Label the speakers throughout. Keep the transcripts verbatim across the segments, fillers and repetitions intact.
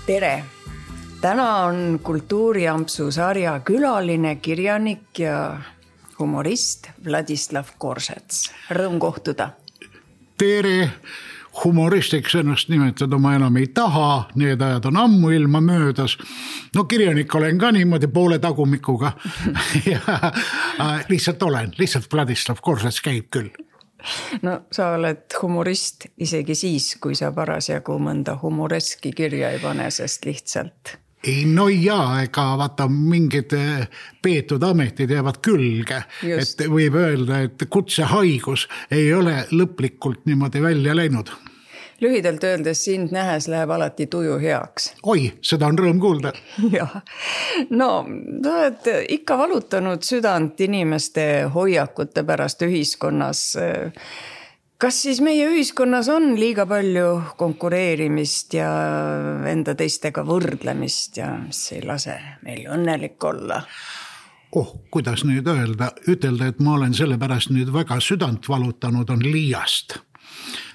Speaker 1: Tere! Täna on Kultuuriampsu sarja külaline kirjanik ja humorist Vladislav Korsets. Rõõm kohtuda.
Speaker 2: Tere! Humoristiks ennast nimetada ma enam ei taha, need ajad on ammu ilma möödas. No kirjanik olen ka niimoodi poole tagumikuga. ja, lihtsalt olen, lihtsalt Vladislav Korsets käib küll.
Speaker 1: No sa oled humorist isegi siis, kui sa parasjagu mõnda humoreski kirja ei pane, sest lihtsalt...
Speaker 2: Ei, no jaa, ega vaata mingid peetud ametid jäävad külge. Just. Et võib öelda, et kutsehaigus ei ole lõplikult niimoodi välja läinud.
Speaker 1: Lühidalt öeldes sind nähes läheb alati tuju heaks.
Speaker 2: Oi, seda on rõõm kuulda.
Speaker 1: Jah. No, sa oled ikka valutanud südant inimeste hoiakute pärast ühiskonnas. Kas siis meie ühiskonnas on liiga palju konkureerimist ja enda teistega võrdlemist ja mis ei lase meil õnnelik olla?
Speaker 2: Oh, kuidas nüüd öelda? Ütelda, et ma olen selle pärast nüüd väga südant valutanud on liiast.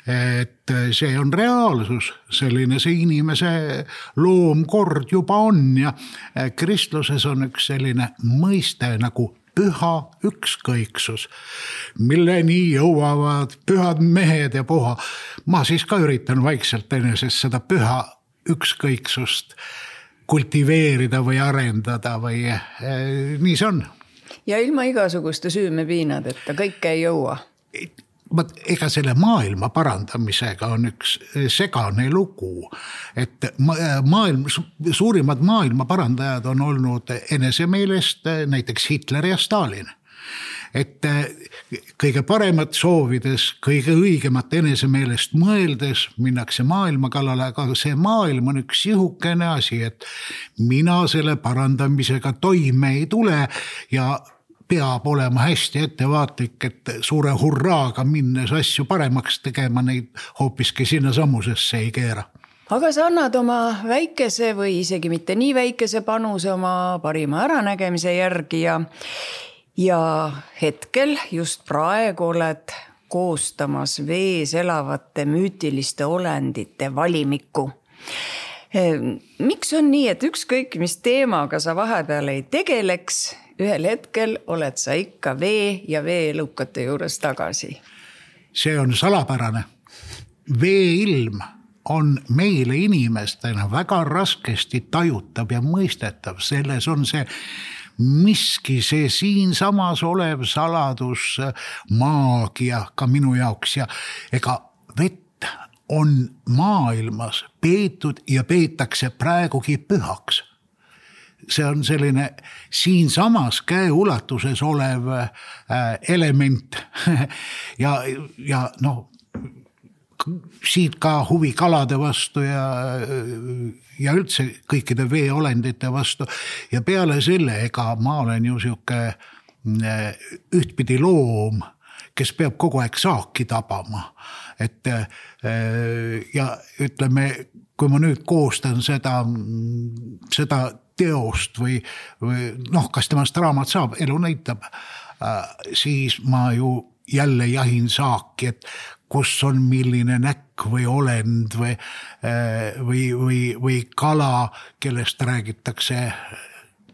Speaker 2: Et see on reaalsus, selline see inimese loomkord juba on ja kristluses on üks selline mõiste nagu püha ükskõiksus, milleni jõuavad pühad mehed ja puha. Ma siis ka üritan vaikselt enesest seda püha ükskõiksust kultiveerida või arendada või eh, nii see on.
Speaker 1: Ja ilma igasuguste süümepiinad, et ta kõike ei jõua.
Speaker 2: Ega selle maailma parandamisega on üks segane lugu, et maailm, suurimad maailma parandajad on olnud enesemeelest näiteks Hitler ja Stalin. Et kõige paremat soovides, kõige õigemat enesemeelest mõeldes minnakse maailma kallale, aga see maailm on üks sihukene asi, et mina selle parandamisega toime ei tule ja peab olema hästi ettevaatlik, et suure hurraaga minnes asju paremaks tegema, neid hoopiski sinna sammusesse ei keera.
Speaker 1: Aga sa annad oma väikese või isegi mitte nii väikese panuse oma parima äranägemise järgi ja, ja hetkel just praegu oled koostamas vees elavate müütiliste olendite valimikku. Miks on nii, et ükskõik mis teemaga sa vahepeal ei tegeleks, ühel hetkel oled sa ikka vee ja veelukate juures tagasi?
Speaker 2: See on salapärane. Veeilm on meile inimestena väga raskesti tajutav ja mõistetav. Selles on see miski, see siin samas olev saladus, maagia ka minu jaoks ja ega vett on maailmas peetud ja peetakse praegugi pühaks. See on selline siin samas käe ulatuses olev element ja, ja noh, siit ka huvi kalade vastu ja, ja üldse kõikide veeolendite vastu ja peale selle, ega ma olen ju siuke ühtpidi loom, kes peab kogu aeg saaki tabama, et ja ütleme, kui ma nüüd koostan seda, seda teost või, või noh, kas temast raamat saab, elu näitab, siis ma ju jälle jahin saaki, et kus on milline näkk või olend või, või, või, või kala, kellest räägitakse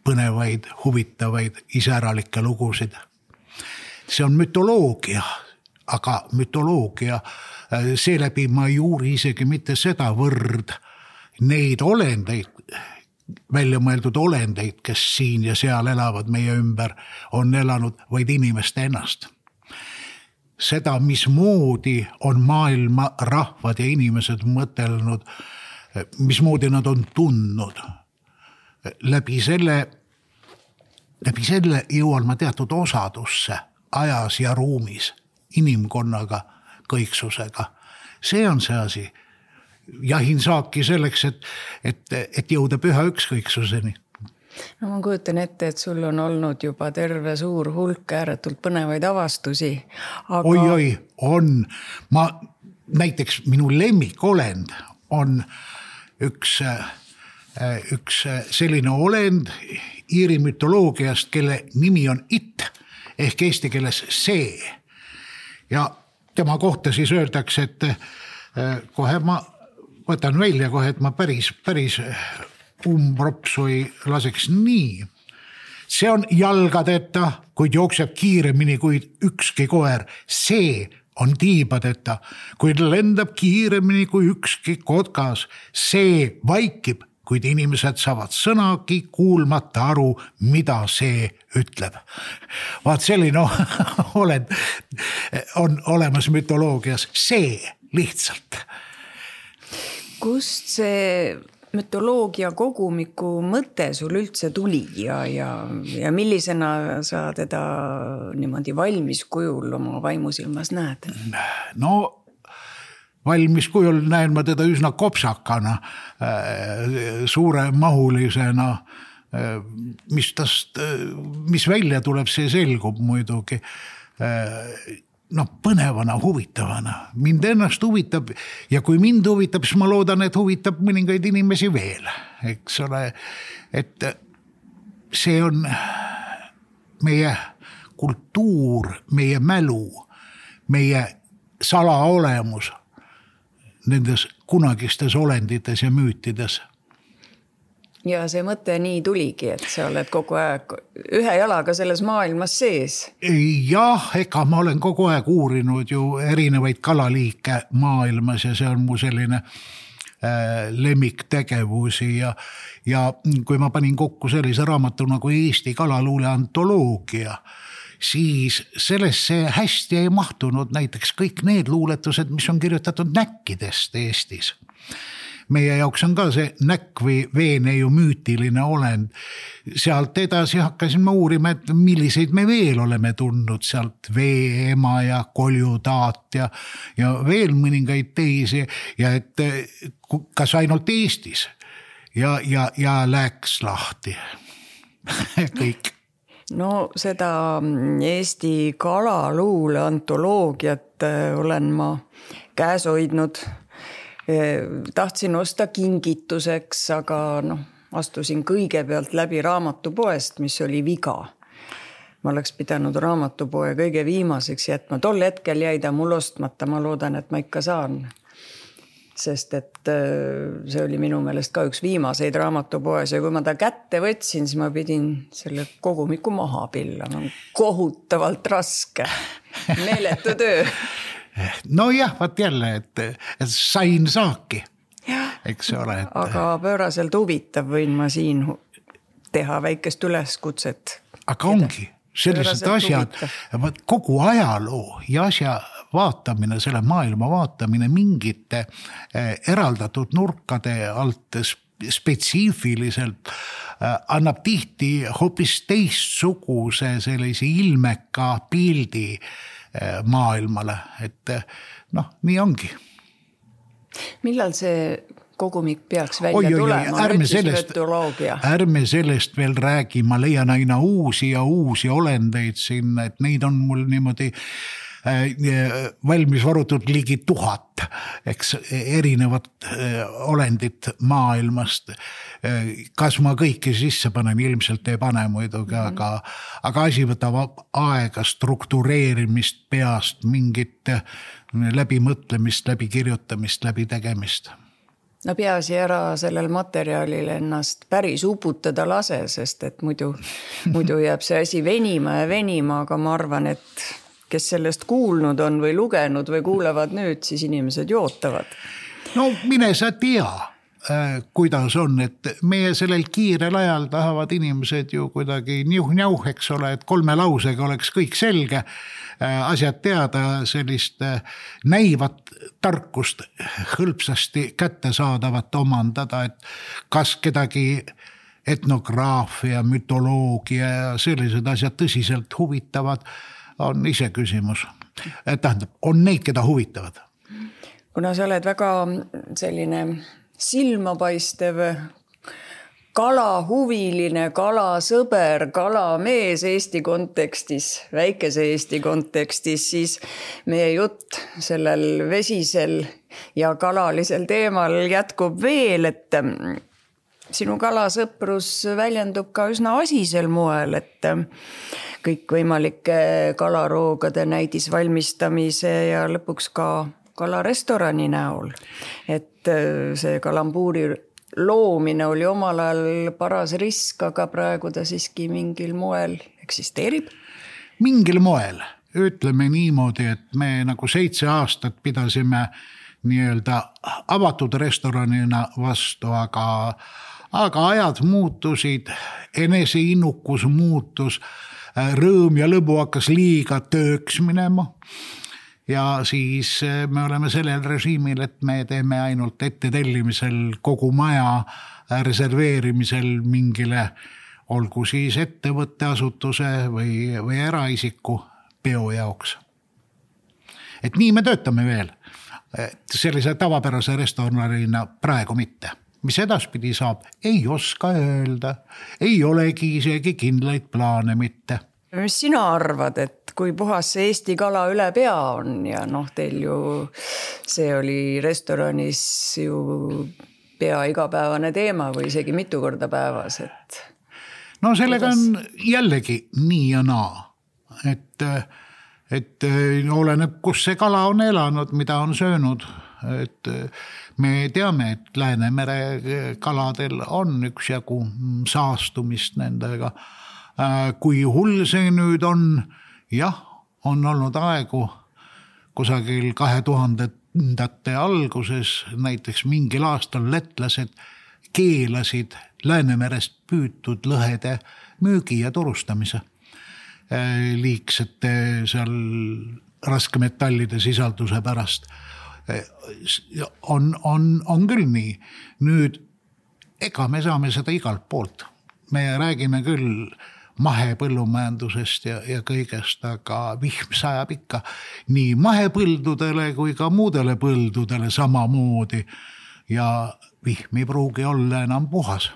Speaker 2: põnevaid, huvitavaid, iseäralikke lugusid. See on mütoloogia, aga mütoloogia, seeläbi ma ei uuri isegi mitte seda võrd neid olendeid, välja mõeldud olendeid, kes siin ja seal elavad meie ümber, on elanud vaid inimeste ennast. Seda, mismoodi on maailma rahvad ja inimesed mõtelnud, mismoodi nad on tundnud. Läbi selle, läbi selle jõuan ma teatud osadusse ajas ja ruumis, inimkonnaga, kõiksusega. See on see asi. Jahin saaki selleks, et, et, et jõuda püha ükskõiksuseni.
Speaker 1: No ma kujutan ette, et sul on olnud juba terve suur hulk ääretult põnevaid avastusi. Aga...
Speaker 2: Oi, oi, on. Ma, näiteks minu lemmikolend on üks, üks selline olend Iiri mütoloogiast, kelle nimi on It, ehk eesti keeles see. Ja tema kohta siis öeldakse, et kohe ma võtan välja kohe, et ma päris, päris umbropsu ei laseks nii. See on jalgadeta, kuid jookseb kiiremini kui ükski koer. See on tiibadeta, kuid lendab kiiremini kui ükski kotkas. See vaikib, kuid inimesed saavad sõnagi kuulmata aru, mida see ütleb. Vaat selline oled, on olemas mütoloogias. See lihtsalt.
Speaker 1: Kust see mütoloogia kogumiku mõte sul üldse tuli ja, ja, ja millisena sa teda niimoodi valmis kujul oma vaimusilmas näed?
Speaker 2: No valmis kujul näen ma teda üsna kopsakana, suure mahulisena, mis tast, mis välja tuleb, see selgub muidugi. No põnevana, huvitavana. Mind ennast huvitab ja kui mind huvitab, siis ma loodan, et huvitab mõningaid inimesi veel. Eks ole, et see on meie kultuur, meie mälu, meie salaolemus nendes kunagistes olendites ja müütides.
Speaker 1: Ja see mõte nii tuligi, et sa oled kogu aeg ühe jalaga selles maailmas sees.
Speaker 2: Jah, ega ma olen kogu aeg uurinud ju erinevaid kalaliike maailmas ja see on mu selline äh, lemmiktegevusi ja, ja kui ma panin kokku sellise raamatu nagu Eesti kalaluule antoloogia, siis sellesse hästi ei mahtunud näiteks kõik need luuletused, mis on kirjutatud näkkidest Eestis. Meie jaoks on ka see näkk või veeneiu müütiline olend. Sealt edasi hakkasin ma uurima, et milliseid me veel oleme tundnud sealt veeema ja koljudaat ja, ja veel mõningaid teisi ja et kas ainult Eestis ja, ja, ja läks lahti kõik.
Speaker 1: No seda Eesti kalaluule antoloogiat olen ma käes hoidnud. Tahtsin osta kingituseks, aga noh, astusin kõigepealt läbi raamatupoest, mis oli viga. Ma oleks pidanud raamatupoe kõige viimaseks jätma. Tol hetkel jäi ta mul ostmata, ma loodan, et ma ikka saan. Sest et see oli minu meelest ka üks viimaseid raamatupoes ja kui ma ta kätte võtsin, siis ma pidin selle kogumiku maha pillama. Kohutavalt raske, meeletu töö.
Speaker 2: No jah, vaat jälle, et, et sain saaki, eks ole. Et...
Speaker 1: Aga pööraselt huvitav võin ma siin teha väikest üleskutset.
Speaker 2: Aga ongi sellised asjad, kogu ajaloo ja asja vaatamine, selle maailma vaatamine mingite eraldatud nurkade alt spetsiifiliselt annab tihti hoopis teistsuguse sellise ilmeka pildi maailmale, et noh, nii ongi.
Speaker 1: Millal see kogumik peaks välja oi, tulema?
Speaker 2: Oi, ärme, sellest, ärme sellest veel räägi, ma leian aina uusi ja uusi olendeid sinna, et neid on mul niimoodi valmis varutud ligi tuhat, eks erinevat olendit maailmast. Kas ma kõiki sisse panen, ilmselt ei pane muidugi, mm-hmm. aga, aga asi võtab aega struktureerimist peast, mingit läbimõtlemist, läbi kirjutamist, läbi tegemist.
Speaker 1: No peaasi ära sellel materjalil ennast päris uputada lase, sest et muidu, muidu jääb see asi venima ja venima, aga ma arvan, et kes sellest kuulnud on või lugenud või kuulevad nüüd, siis inimesed jootavad.
Speaker 2: No mine sa tea, kuidas on, et meie sellel kiirel ajal tahavad inimesed ju kuidagi niuh-niauh, eks ole, et kolme lausega oleks kõik selge, asjad teada, sellist näivat tarkust hõlpsasti kättesaadavat omandada, et kas kedagi etnograafia, mütoloogia ja sellised asjad tõsiselt huvitavad, on ise küsimus. Tähendab, on neid, keda huvitavad.
Speaker 1: Kuna sa oled väga selline silmapaistev kalahuviline, kalasõber, kalamees Eesti kontekstis, väikese Eesti kontekstis, siis meie jutt sellel vesisel ja kalalisel teemal jätkub veel, et sinu kalasõprus väljendub ka üsna asisel moel, et kõik võimalike kalaroogade näidisvalmistamise ja lõpuks ka kalarestorani näol, et see kalambuuri loomine oli omal ajal paras risk, aga praegu ta siiski mingil moel eksisteerib?
Speaker 2: Mingil moel, ütleme niimoodi, et me nagu seitse aastat pidasime nii-öelda avatud restoranina vastu, aga, aga ajad muutusid, eneseinnukus muutus, rõõm ja lõbu hakkas liiga tööks minema ja siis me oleme sellel režiimil, et me teeme ainult ettetellimisel kogu maja reserveerimisel mingile, olgu siis ettevõtte asutuse või, või eraisiku peo jaoks. Et nii me töötame veel. Sellise tavapärase restoranina praegu mitte. Mis edaspidi saab, ei oska öelda, ei olegi isegi kindlaid plaane mitte.
Speaker 1: Mis sina arvad, et kui puhas see Eesti kala üle pea on ja noh, teil ju see oli restoranis ju pea igapäevane teema või isegi mitu korda päevas, et...
Speaker 2: No sellega on jällegi nii ja naa, et... et oleneb, kus see kala on elanud, mida on söönud, et me teame, et Läänemere kaladel on üksjagu saastumist nendega. Kui hull see nüüd on, jah, on olnud aegu kusagil kahe tuhandete alguses, näiteks mingil aastal lätlased keelasid Läänemerest püütud lõhede müügi ja turustamise. Liigsete seal raskemetallide sisalduse pärast. On, on, on küll nii. Nüüd, ega me saame seda igalt poolt. Me räägime küll mahepõllumajandusest ja, ja kõigest, aga vihm sajab ikka nii mahepõldudele kui ka muudele põldudele samamoodi ja vihm ei pruugi olla enam puhas.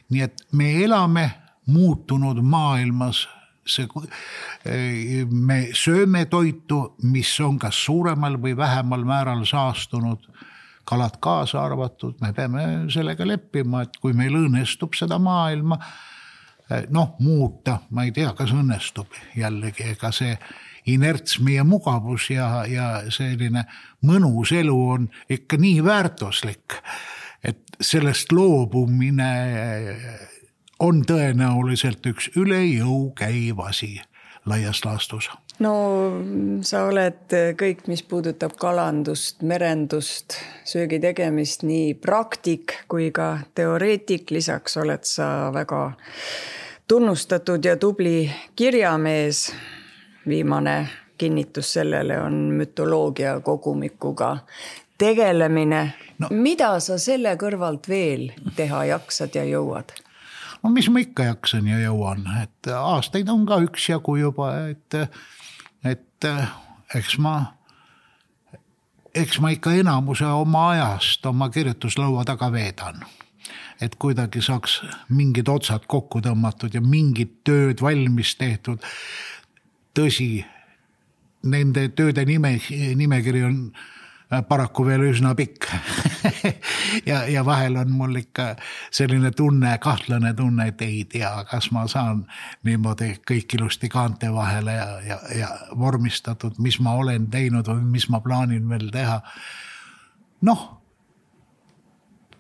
Speaker 2: Nii et me elame muutunud maailmas. See, me sööme toitu, mis on kas suuremal või vähemal määral saastunud, kalad kaasa arvatud, me peame sellega leppima, et kui meil õnnestub seda maailma, noh, muuta, ma ei tea, kas õnnestub jällegi, ega see inerts meie mugavus ja, ja selline mõnus elu on ikka nii väärtuslik, et sellest loobumine on tõenäoliselt üks üle jõu käiv asi laias laastus.
Speaker 1: No sa oled kõik, mis puudutab kalandust, merendust, söögi tegemist, nii praktik kui ka teoreetik. Lisaks oled sa väga tunnustatud ja tubli kirjamees. Viimane kinnitus sellele on mütoloogia kogumikuga tegelemine. No. Mida sa selle kõrvalt veel teha jaksad ja jõuad?
Speaker 2: No mis ma ikka jaksan ja jõuan, et aastaid on ka üksjagu juba, et, et eks ma, eks ma ikka enamuse oma ajast oma kirjutuslaua taga veedan. Et kuidagi saaks mingid otsad kokku tõmmatud ja mingid tööd valmis tehtud. Tõsi, nende tööde nime, nimekiri on paraku veel üsna pikk ja, ja vahel on mul ikka selline tunne, kahtlane tunne, et ei tea, kas ma saan niimoodi kõik ilusti kaante vahele ja, ja, ja vormistatud, mis ma olen teinud või mis ma plaanin veel teha. Noh,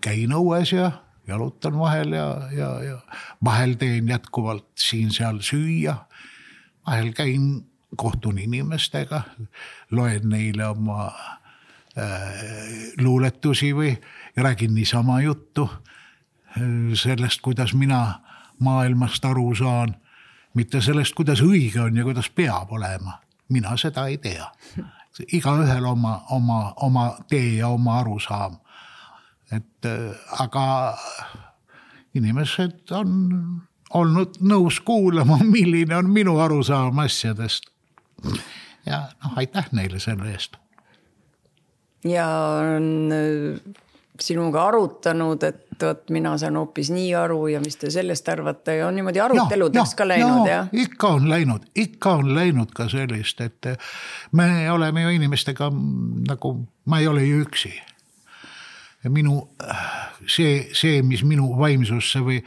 Speaker 2: käin õues ja jalutan vahel ja, ja, ja vahel teen jätkuvalt siin seal süüa. Vahel käin, kohtun inimestega, loen neile oma luuletusi või räägin niisama juttu sellest, kuidas mina maailmast aru saan, mitte sellest, kuidas õige on ja kuidas peab olema. Mina seda ei tea. Igaühel oma, oma, oma tee ja oma arusaam. Et, aga inimesed on olnud nõus kuulama, milline on minu arusaam asjadest. Ja noh, aitäh neile selle eest.
Speaker 1: Ja on sinuga arutanud, et võt, mina saan hoopis nii aru ja mis te sellest arvate ja on niimoodi aruteludeks ja, ka läinud, ja, jah?
Speaker 2: Ikka on läinud, ikka on läinud ka sellist, et me oleme ju inimestega nagu, ma ei ole ju üksi. Minu, see, see, mis minu vaimsusse või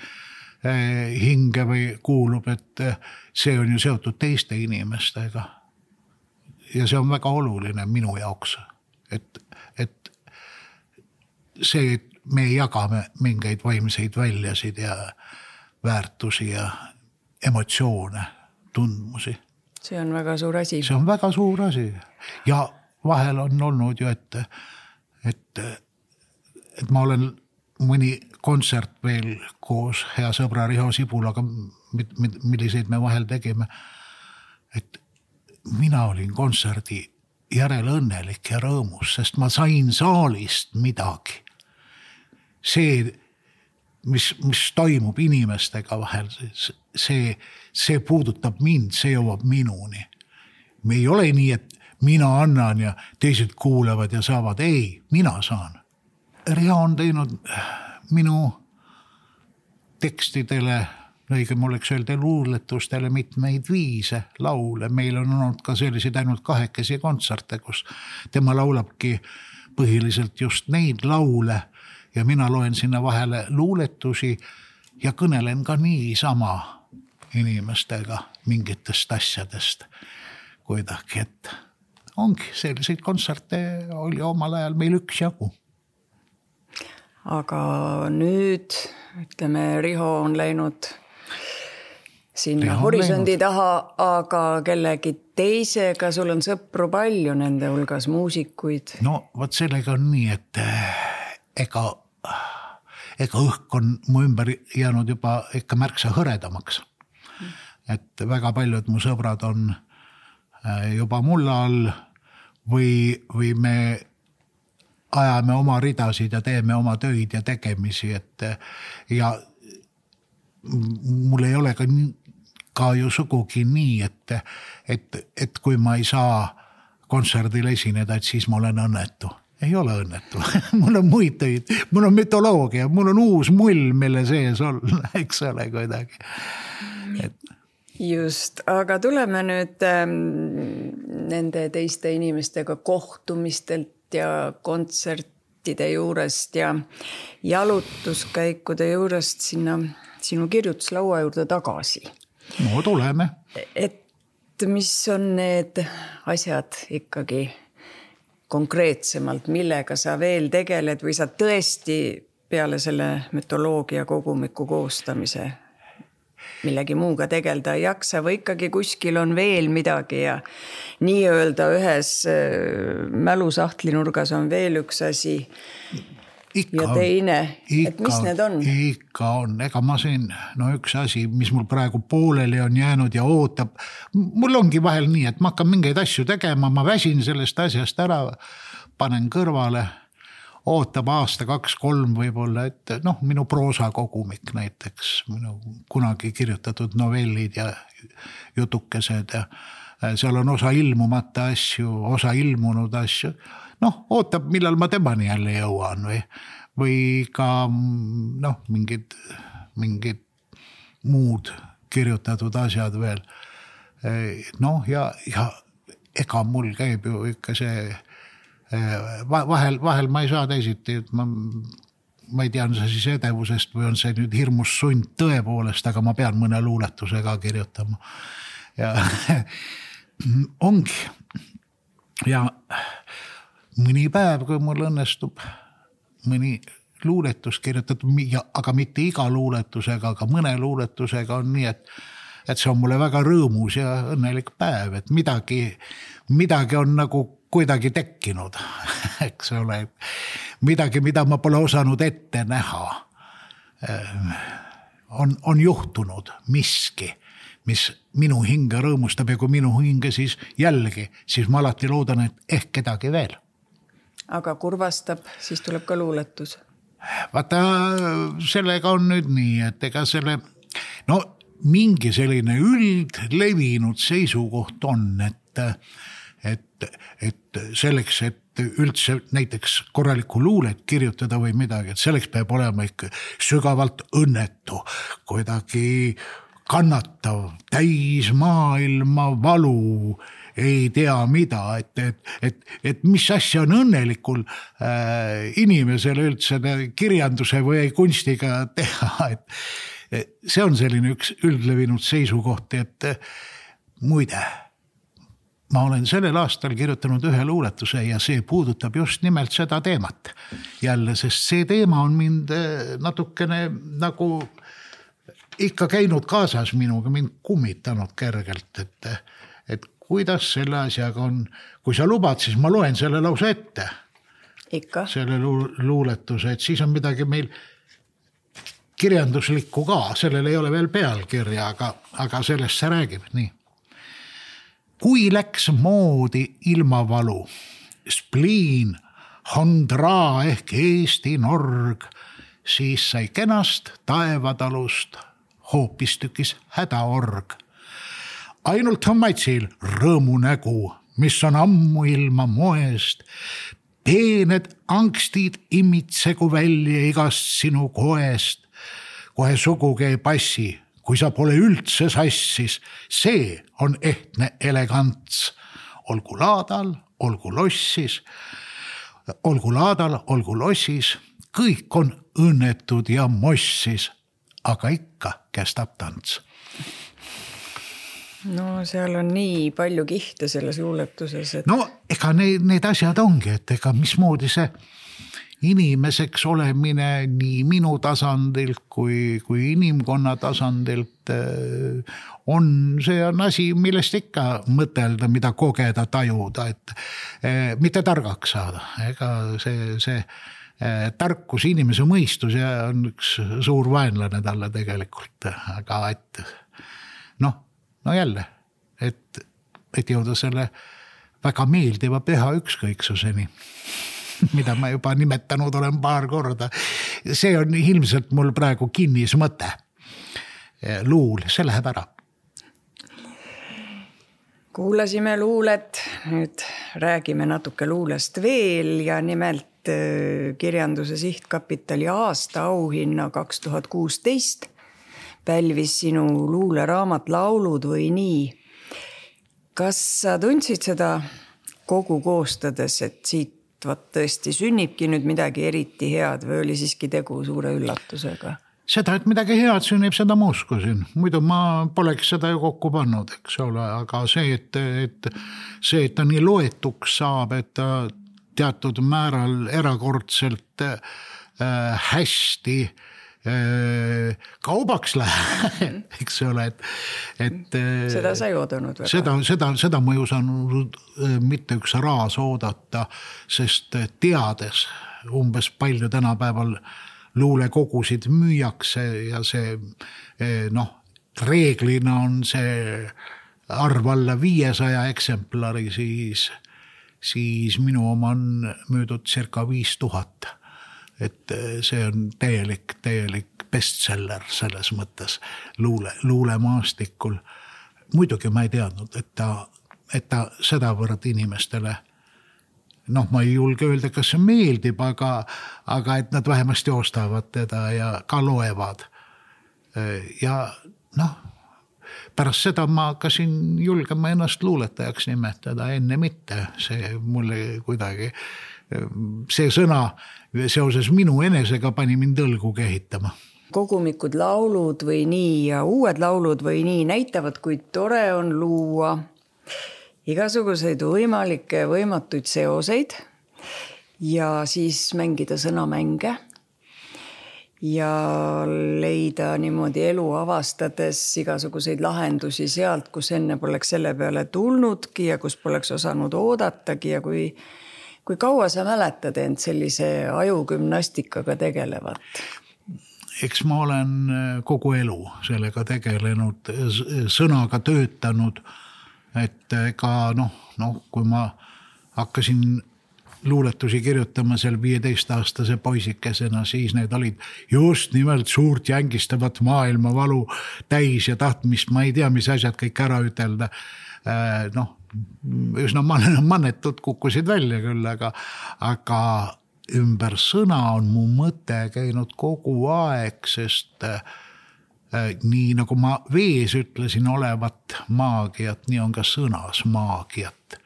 Speaker 2: hinge või kuulub, et see on ju seotud teiste inimestega. Ja see on väga oluline minu jaoks. et, et see, et me jagame mingeid vaimseid väljasid ja väärtusi ja emotsioone, tundmusi.
Speaker 1: See on väga suur asi.
Speaker 2: See on väga suur asi. Ja vahel on olnud ju, et, et, et ma olen mõni kontsert veel koos hea sõbra Riho Sibulaga, milliseid me vahel tegime, et mina olin kontserdi järel õnnelik ja rõõmus, sest ma sain saalist midagi. See, mis, mis toimub inimestega vahel, see, see puudutab mind, see jõuab minuni. Me ei ole nii, et mina annan ja teised kuulevad ja saavad. Ei, mina saan. Riho on teinud minu tekstidele, õigem oleks öelda luuletustele mitmeid viise, laule. Meil on olnud ka selliseid ainult kahekesi kontserte, kus tema laulabki põhiliselt just neid laule ja mina loen sinna vahele luuletusi ja kõnelen ka niisama inimestega mingitest asjadest kuidagi, et ongi selliseid kontserte oli omal ajal meil üks jagu.
Speaker 1: Aga nüüd, ütleme, Riho on läinud sinna Riho horisondi läinud taha, aga kellegi teisega, sul on sõpru palju nende hulgas, muusikuid.
Speaker 2: No võt sellega on nii, et ega, ega õhk on mu ümber jäänud juba ikka märksa hõredamaks. Et väga paljud mu sõbrad on juba mulla all või, või me ajame oma ridasid ja teeme oma töid ja tegemisi, et ja mul ei ole ka, ka ju sugugi nii, et, et, et kui ma ei saa kontserdil esineda, et siis ma olen õnnetu. Ei ole õnnetu. Mul on muid töid, mul on mütoloogia, mul on uus mull, mille sees on, eks ole kuidagi. Et
Speaker 1: just, aga tuleme nüüd ähm, nende teiste inimestega kohtumistelt ja kontsertide juurest ja jalutuskäikude juurest sinna sinu kirjutuslaua juurde tagasi.
Speaker 2: No tuleme.
Speaker 1: Et mis on need asjad ikkagi konkreetsemalt, millega sa veel tegeled või sa tõesti peale selle mütoloogia kogumiku koostamise millegi muuga tegelda ei jaksa või ikkagi kuskil on veel midagi ja nii öelda ühes mälusahtlinurgas on veel üks asi ikka ja teine, ikka, et mis need on?
Speaker 2: Ikka on, ega ma siin, no üks asi, mis mul praegu pooleli on jäänud ja ootab, mul ongi vahel nii, et ma hakkan mingeid asju tegema, ma väsin sellest asjast ära, panen kõrvale, ootab aasta, kaks, kolm võib-olla, et noh, minu proosakogumik näiteks, minu kunagi kirjutatud novellid ja jutukesed ja seal on osa ilmumata asju, osa ilmunud asju. Noh, ootab, millal ma temani jälle jõuan või, või ka noh, mingid, mingid muud kirjutatud asjad veel. Noh, ja, ja ega mul käib ju ikka see Vahel, vahel ma ei saa teisiti, ma, ma ei tea, on see siis edevusest või on see nüüd hirmus sund tõepoolest, aga ma pean mõne luuletuse ka kirjutama. Ja ongi. Ja mõni päev, kui mul õnnestub mõni luuletus kirjutatud, aga mitte iga luuletusega, aga mõne luuletusega on nii, et, et see on mulle väga rõõmus ja õnnelik päev, et midagi, midagi on nagu kuidagi tekkinud, eks ole, midagi, mida ma pole osanud ette näha. On, on juhtunud miski, mis minu hinge rõõmustab ja kui minu hinge siis jällegi, siis ma alati loodan, et ehk kedagi veel.
Speaker 1: Aga kurvastab, siis tuleb ka luuletus.
Speaker 2: Vaata, sellega on nüüd nii, et ega selle, no mingi selline üldlevinud seisukoht on, et Et, et selleks, et üldse näiteks korralikku luulet kirjutada või midagi, et selleks peab olema ikka sügavalt õnnetu, kuidagi kannatav, täis maailma valu, ei tea mida, et, et, et, et mis asja on õnnelikul äh, inimesele üldse kirjanduse või kunstiga teha, et, et see on selline üks üldlevinud seisukoht, et muide, ma olen sellel aastal kirjutanud ühe luuletuse ja see puudutab just nimelt seda teemat. Jälle, sest see teema on mind natukene nagu ikka käinud kaasas minuga, mind kummitanud kergelt, et, et kuidas selle asjaga on. Kui sa lubad, siis ma loen selle lause ette.
Speaker 1: Ikka. Selle
Speaker 2: luuletuse, et siis on midagi meil kirjanduslikku ka. Sellel ei ole veel pealkirja, aga, aga sellest see räägib nii. Kui läks moodi ilmavalu, spliin, hondraa ehk Eesti norg, siis sai kenast taevatalust hoopistükis hädaorg. Ainult on matsil rõõmu nägu, mis on ammu ilma moest. Peened angstid imitsegu välja igast sinu koest. Kohe sugugi ei passi. Kui sa pole üldse sassis, see on ehtne elegants. Olgu laadal, olgu lossis, olgu laadal, olgu lossis, kõik on õnnetud ja mossis, aga ikka kestab tants.
Speaker 1: No seal on nii palju kihte selles luuletuses. Et...
Speaker 2: No ega need, need asjad ongi, et ega mismoodi see inimeseks olemine nii minu tasandilt kui, kui inimkonna tasandilt on, see on asi, millest ikka mõtelda, mida kogeda, tajuda, et eh, mitte targaks saada. Ega see, see eh, tarkus, inimese mõistus ja on üks suur vaenlane talle tegelikult, aga et noh, no jälle, et, et jõuda selle väga meeldiva püha ükskõiksuseni, mida ma juba nimetanud olen paar korda. See on ilmselt mul praegu kinnis mõte. Luul, see läheb ära.
Speaker 1: Kuulasime luulet, nüüd räägime natuke luulest veel ja nimelt kirjanduse sihtkapitali aasta auhinna kaks tuhat kuusteist pälvis sinu luuleraamat Laulud või nii. Kas sa tundsid seda kogu koostades, et siit vaat tõesti sünnibki nüüd midagi eriti head või oli siiski tegu suure üllatusega?
Speaker 2: Seda, et midagi head sünnib, seda ma uskusin. Muidu ma poleks seda ju kokku pannud, eks ole, aga see, et, et see, et ta nii loetuks saab, et ta teatud määral erakordselt äh, hästi kaubaks läheb, eks ole, et, et
Speaker 1: seda sa ei oodanud väga.
Speaker 2: Seda, seda, seda ma ei osanud mitte üks raas oodata, sest teades umbes palju tänapäeval luulekogusid müüakse ja see noh, reeglina on see arv alla viiesaja eksemplari, siis, siis minu oma on müüdud circa viis tuhat. Et see on täielik, täielik bestseller selles mõttes luule, luulemaastikul. Muidugi ma ei teadnud, et ta, et ta sedavõrd inimestele, noh, ma ei julge öelda, kas see meeldib, aga, aga et nad vähemasti ostavad teda ja ka loevad. Ja noh, pärast seda ma hakkasin julgema ennast luuletajaks nimetada, enne mitte. See mulle kuidagi, see sõna seoses minu enesega pani mind õlgu kehitama.
Speaker 1: Kogumikud Laulud või nii ja uued laulud või nii näitavad, kui tore on luua igasuguseid võimalikke võimatuid seoseid ja siis mängida sõnamänge ja leida niimoodi elu avastades igasuguseid lahendusi sealt, kus enne poleks selle peale tulnudki ja kus poleks osanud oodatagi ja kui Kui kaua sa mäletad end sellise ajugümnastikaga tegelevat?
Speaker 2: Eks ma olen kogu elu sellega tegelenud, sõnaga töötanud, et ka noh, noh, kui ma hakkasin luuletusi kirjutama seal viieteist-aastase poisikesena, siis need olid just nimelt suurt jängistavat maailmavalu täis ja tahtmist, ma ei tea, mis asjad kõik ära ütelda, noh, üsna mannetud kukkusid välja küll, aga, aga ümber sõna on mu mõte käinud kogu aeg, sest äh, nii nagu ma vees ütlesin olevat maagiat, nii on ka sõnas maagiat.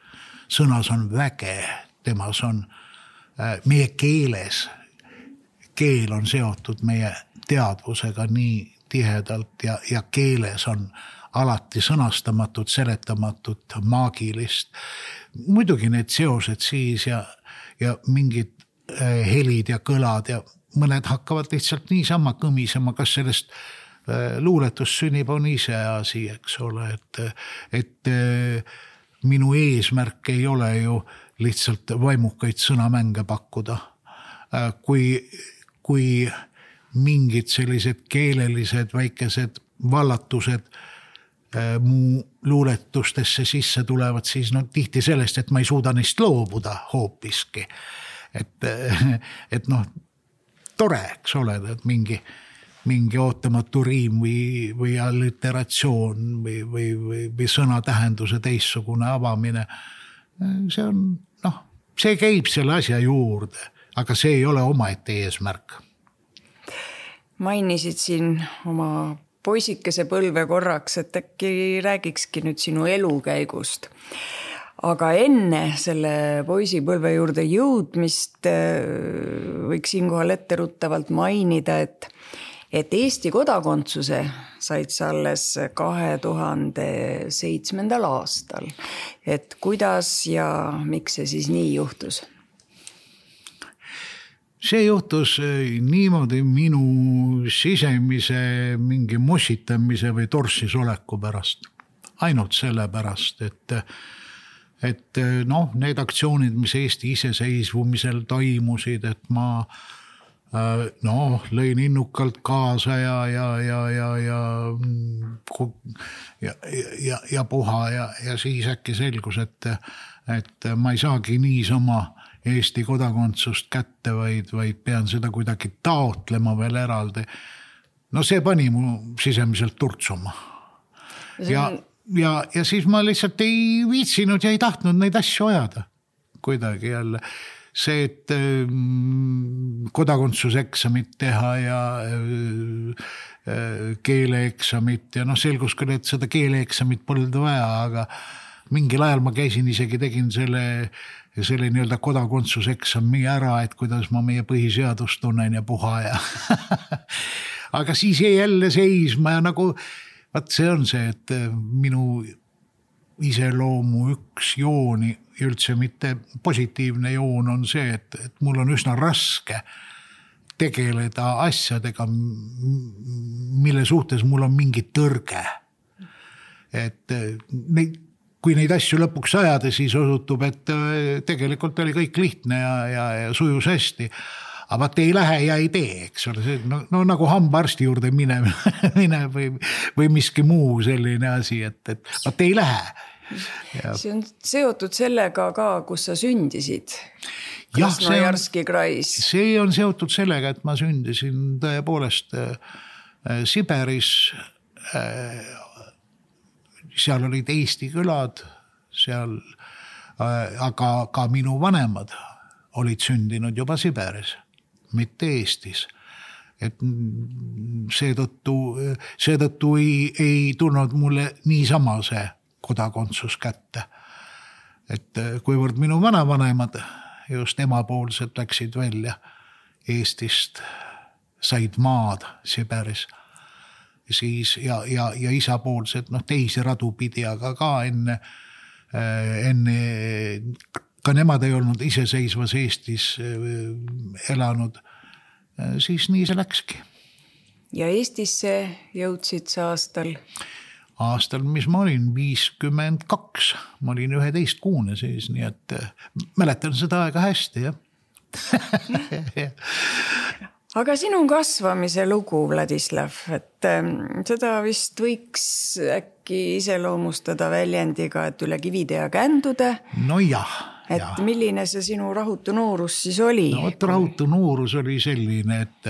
Speaker 2: Sõnas on väge, temas on äh, meie keeles. Keel on seotud meie teadvusega nii tihedalt ja, ja keeles on alati sõnastamatut, seletamatut, maagilist. Muidugi need seosed siis ja, ja mingid helid ja kõlad ja mõned hakkavad lihtsalt niisama kõmisema, kas sellest luuletus sünnib on ise asi, eks ole, et, et minu eesmärk ei ole ju lihtsalt vaimukaid sõnamänge pakkuda. Kui, kui mingid sellised keelelised väikesed vallatused mu luuletustesse sisse tulevad, siis no tihti sellest, et ma ei suuda neist loobuda hoopiski. Et, et noh, tore, eks ole, et mingi, mingi ootamatu riim või, või alliteratsioon või, või, või, või sõna tähenduse teissugune avamine. See on, noh, see käib selle asja juurde, aga see ei ole omaette eesmärk.
Speaker 1: Mainisid siin oma poisikese põlve korraks, et äkki räägikski nüüd sinu elukäigust. Aga enne selle poisipõlve juurde jõudmist võiks siinkohal etteruttavalt mainida, et, et Eesti kodakondsuse said sa alles kahe tuhande seitsmendal aastal. Et kuidas ja miks see siis nii juhtus?
Speaker 2: See juhtus niimoodi minu sisemise mingi mossitamise või torsis oleku pärast. Ainult selle pärast, et, et noh, need aktsioonid, mis Eesti iseseisvumisel toimusid, et ma noh, lõin innukalt kaasa ja, ja, ja, ja, ja, ja, ja, ja puha ja, ja siis äkki selgus, et, et ma ei saagi niisama Eesti kodakondsust kätte, vaid, vaid pean seda kuidagi taotlema veel eraldi. No see pani mu sisemiselt turtsuma. Ja, ja, ja siis ma lihtsalt ei viitsinud ja ei tahtnud neid asju ajada. Kuidagi jälle. See, et kodakondsuseksamit teha ja keeleeksamit ja noh, selgus küll, et seda keeleeksamit polnud vaja, aga mingil ajal ma käisin isegi, tegin selle ja selle nii-öelda kodakondsuseksami ära, et kuidas ma meie põhiseadust tunnen ja puha ja aga siis jäi jälle seisma ja nagu, vaat see on see, et minu iseloomu üks jooni, üldse mitte positiivne joon on see, et, et mul on üsna raske tegeleda asjadega, mille suhtes mul on mingi tõrge. Et neid kui neid asju lõpuks ajada, siis osutub, et tegelikult oli kõik lihtne ja, ja, ja sujus hästi. Aga vaat ei lähe ja ei tee, eks ole. No, no nagu hambaarsti juurde mine, mine või, või miski muu selline asi, et, et vaat ei lähe. Ja.
Speaker 1: See on seotud sellega ka, kus sa sündisid.
Speaker 2: Jah, see on,
Speaker 1: see
Speaker 2: on seotud sellega, et ma sündisin tõepoolest äh, Siberis äh, seal olid Eesti külad, seal, aga ka minu vanemad olid sündinud juba Siberis, mitte Eestis. Et seetõttu, seetõttu ei, ei tulnud mulle niisama see kodakondsus kätte. Et kuivõrd minu vanavanemad just emapoolsed läksid välja Eestist, said maad Siberis, siis ja, ja, ja isapoolsed noh, teisi radu pidi, aga ka enne, enne ka nemad ei olnud iseseisvas Eestis elanud, siis nii see läkski.
Speaker 1: Ja Eestisse jõudsid sa aastal?
Speaker 2: Aastal, mis ma olin, viiskümmend kaks. Ma olin üheteist kuune siis, nii et mäletan seda aega hästi, jah.
Speaker 1: Aga sinu kasvamise lugu, Vladislav, et seda vist võiks äkki iseloomustada väljendiga, et üle kivide ja kändude.
Speaker 2: No jah.
Speaker 1: Et
Speaker 2: ja.
Speaker 1: Milline see sinu rahutu noorus siis oli?
Speaker 2: No võt, rahutu noorus oli selline, et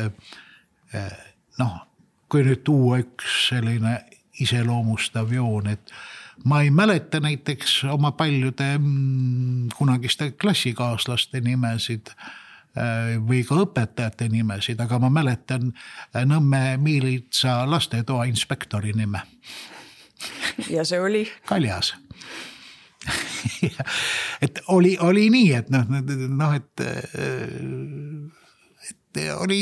Speaker 2: noh, kui nüüd tuua üks selline iseloomustav joon, et ma ei mäleta näiteks oma paljude kunagiste klassikaaslaste nimesid, või ka õpetajate nimesid, aga ma mäletan Nõmme Miilitsa lastetoa inspektori nime.
Speaker 1: Ja see oli?
Speaker 2: Kaljas. et oli, oli nii, et noh, noh et, oli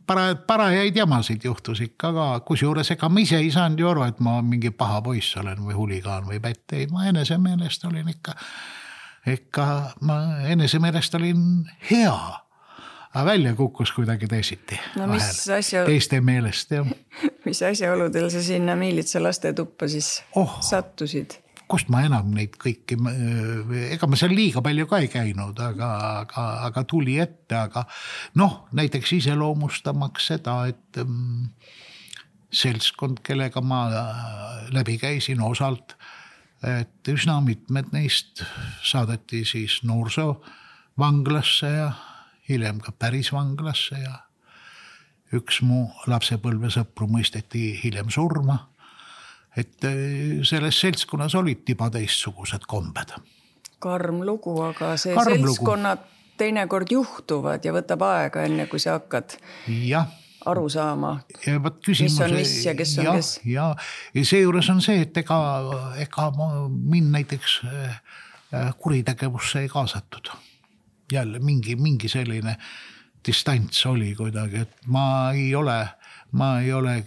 Speaker 2: para, parajaid jamasid juhtus ikka ka, kusjuures ega ma ise ei saanud ju aru, et ma mingi paha poiss olen või huligaan või pätt, ei, ma enese meelest olin ikka, ikka ma enese meelest olin hea, aga välja kukkus kuidagi teisiti.
Speaker 1: No mis asja...
Speaker 2: Teiste meelest, jah.
Speaker 1: Mis asjaoludel sa sinna Miilitsa laste tuppa siis oh. sattusid?
Speaker 2: Kust ma enam neid kõiki, ega ma seal liiga palju ka ei käinud, aga, aga, aga tuli ette, aga noh, näiteks iseloomustamaks seda, et mm, seltskond, kellega ma läbi käisin osalt, et üsna mitmed neist saadeti siis noorsovanglasse ja hiljem ka päris vanglasse ja üks mu lapsepõlvesõpru mõisteti hiljem surma. Et selles seltskonnas olid tiba teistsugused kombed.
Speaker 1: Karm lugu, aga see
Speaker 2: Karm
Speaker 1: seltskonnad lugu. Teinekord juhtuvad ja võtab aega enne, kui sa hakkad
Speaker 2: ja.
Speaker 1: aru saama,
Speaker 2: küsimus,
Speaker 1: mis on mis ja kes on
Speaker 2: ja,
Speaker 1: kes.
Speaker 2: Ja, ja seejuures on see, et ega, ega mind näiteks kuritegevusse ei kaasatud. Jälle mingi, mingi selline distants oli kuidagi, et ma ei ole, ma ei ole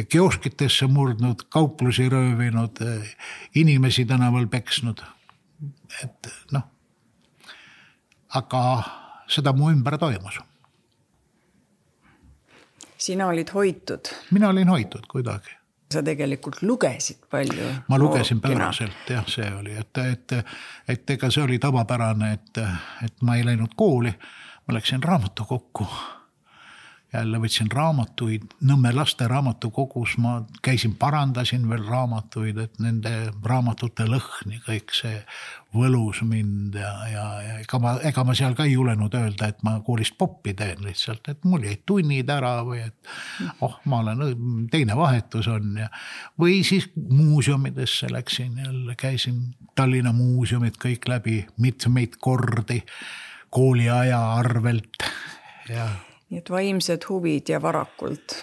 Speaker 2: kioskitesse murdnud, kauplusi röövinud, inimesi tänaval peksnud. Et noh, aga seda mu ümber toimus.
Speaker 1: Sina olid hoitud?
Speaker 2: Mina olin hoitud kuidagi.
Speaker 1: Sa tegelikult lugesid palju?
Speaker 2: Ma lugesin pööraselt, jah, see oli, et, et, et ega see oli tavapärane, et, et ma ei läinud kooli, ma läksin raamatu kokku. Jälle võtsin raamatuid, Nõmme laste raamatukogus ma käisin, parandasin veel raamatuid, et nende raamatute lõhni kõik see võlus mind ja, ja, ja ega, ma, ega ma seal ka ei julenud öelda, et ma koolist poppi teen lihtsalt, et mul jäid tunnid ära või et oh, ma olen, teine vahetus on ja või siis muuseumidesse läksin jälle, käisin Tallinna muuseumid kõik läbi mitmeid kordi kooliaja arvelt ja
Speaker 1: nii et vaimsed huvid ja varakult.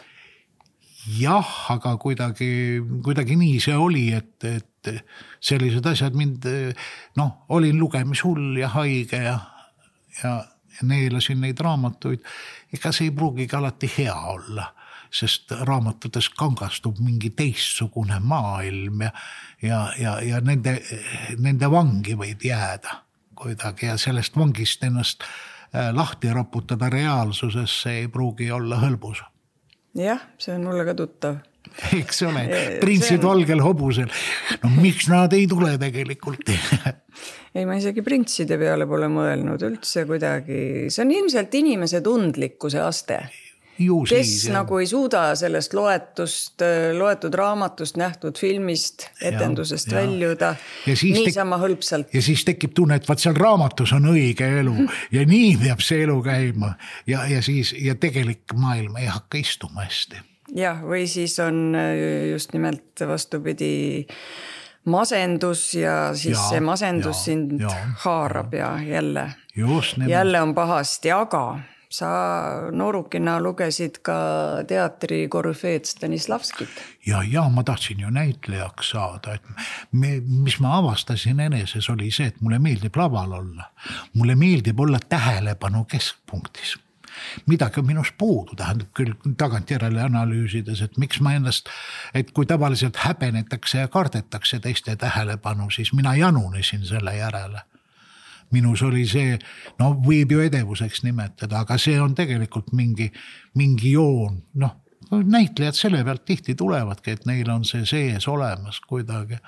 Speaker 2: Jah, aga kuidagi, kuidagi nii see oli, et, et sellised asjad mind, noh, olin lugemishull ja haige ja, ja neelasin neid raamatuid. Ega see ei pruugigi alati hea olla, sest raamatutes kangastub mingi teistsugune maailm ja, ja, ja, ja nende, nende vangi võib jääda kuidagi ja sellest vangist ennast lahti raputada reaalsusesse ei pruugi olla hõlbus.
Speaker 1: Jah, see on mulle ka tuttav.
Speaker 2: Eks ole, printsid on... valgel hobusel. No miks nad ei tule tegelikult?
Speaker 1: Ei, ma isegi printside peale pole mõelnud üldse kuidagi. See on ilmselt inimese tundlikkuse aste. Ju kes siis, nagu ei suuda sellest loetust, loetud raamatust, nähtud filmist, etendusest ja, väljuda ja niisama tek- hõlpsalt.
Speaker 2: Ja siis tekib tunne, et vaat seal raamatus on õige elu ja nii peab see elu käima ja, ja, siis, ja tegelik maailm ei hakka istuma hästi.
Speaker 1: Jah, või siis on just nimelt vastupidi masendus ja siis ja, see masendus ja, sind ja, haarab ja, ja jälle, jälle on pahasti, aga sa noorukina lugesid ka teatri korüfeed Stanislavskit.
Speaker 2: Ja, ja ma tahtsin ju näitlejaks saada. Et me, mis ma avastasin eneses oli see, et mulle meeldib laval olla. Mulle meeldib olla tähelepanu keskpunktis. Midagi on minust puudu, tähendab küll tagantjärele analüüsides, et miks ma ennast, et kui tavaliselt häbenetakse ja kardetakse teiste tähelepanu, siis mina janunesin selle järele. Minus oli see, no võib ju edevuseks nimetada, aga see on tegelikult mingi, mingi joon. Noh, näitlejad selle pealt tihti tulevadki, et neil on see sees olemas kuidagi.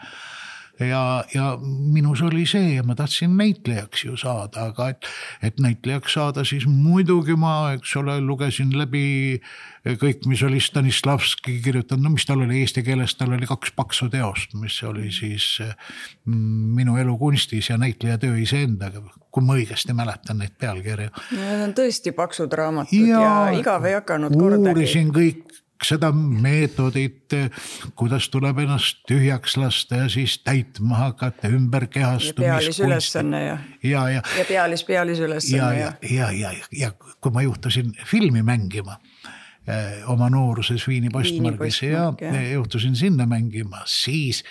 Speaker 2: Ja, ja minus oli see ja ma tahtsin näitlejaks ju saada, aga et, et näitlejaks saada siis muidugi ma, eks ole, lugesin läbi kõik, mis oli Stanislavski kirjutanud, no mis tal oli eesti keeles, tal oli kaks paksu teost, mis oli siis minu elu kunstis ja näitleja töö iseendaga, kui ma õigesti mäletan neid pealkirju.
Speaker 1: Need on tõesti paksud raamatud ja, ja igav ei hakanud kordagi.
Speaker 2: Uurisin kõik seda meetodit, kuidas tuleb ennast tühjaks lasta ja siis täitma hakata ümber kehastumist.
Speaker 1: Ja pealis ülesanne ja,
Speaker 2: ja, ja,
Speaker 1: ja pealis pealis ülesanne.
Speaker 2: Ja, ja, ja, ja, ja, ja kui ma juhtusin filmi mängima oma nooruses Viini postmargis ja, ja juhtusin sinna mängima, siis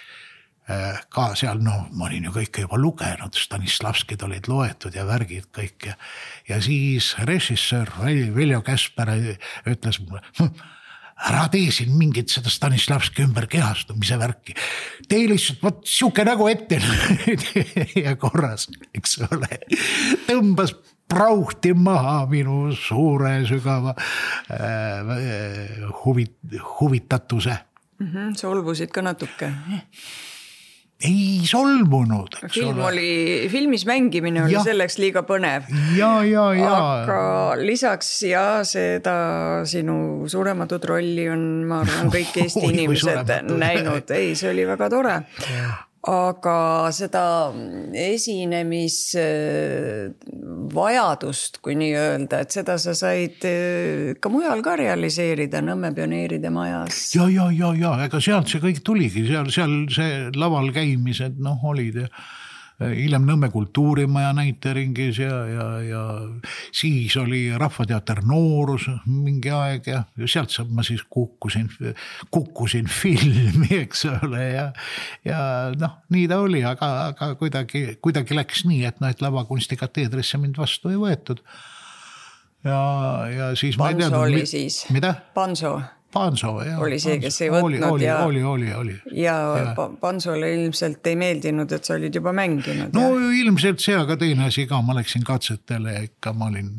Speaker 2: ka seal, no ma olin ju kõike juba lugenud, Stanislavskid olid loetud ja värgid kõik ja, ja siis režissöör Veljo Käsper ütles mulle, ära tee siin mingit seda Stanislavski ümber kehastumise värki. Tee lihtsalt, võt siuke nagu ette ja korras, eks ole, tõmbas prauhti maha minu suure sügava äh, huvit, huvitatuse.
Speaker 1: Mm-hmm, solvusid ka natuke.
Speaker 2: Ei solvunud.
Speaker 1: Film oli, filmis mängimine oli ja. Selleks liiga põnev.
Speaker 2: Ja, ja, ja.
Speaker 1: Aga lisaks ja seda sinu suurematut rolli on, ma arvan, kõik Eesti Oi, inimesed näinud. Ei, see oli väga tore. Ja. Aga seda esinemis vajadust, kui nii öelda, et seda sa said ka mujal ka realiseerida Nõmme pioneeride majas.
Speaker 2: Ja, ja, ja, ja, ega sealt see kõik tuligi, seal, seal see laval käimised, noh, olid ja hiljem Nõmme kultuurimaja näiteringis ja, ja, ja siis oli Rahvateater Noorus mingi aeg ja sealt ma siis kukkusin, kukkusin filmi, eks ole, ja, ja noh, nii ta oli, aga, aga kuidagi, kuidagi läks nii, et noh, et lavakunstikateedrisse mind vastu ei võetud. Ja, ja siis
Speaker 1: Panso
Speaker 2: ma ei teadnud,
Speaker 1: oli siis.
Speaker 2: Mida?
Speaker 1: Panso.
Speaker 2: Panso, jah.
Speaker 1: Oli see, kes ei võtnud.
Speaker 2: Oli,
Speaker 1: ja,
Speaker 2: oli, oli, oli.
Speaker 1: Ja, ja Pansole ilmselt ei meeldinud, et sa olid juba mänginud.
Speaker 2: No ja? Ilmselt see, aga teine asi ka, ma läksin katsetele ja ikka ma olin,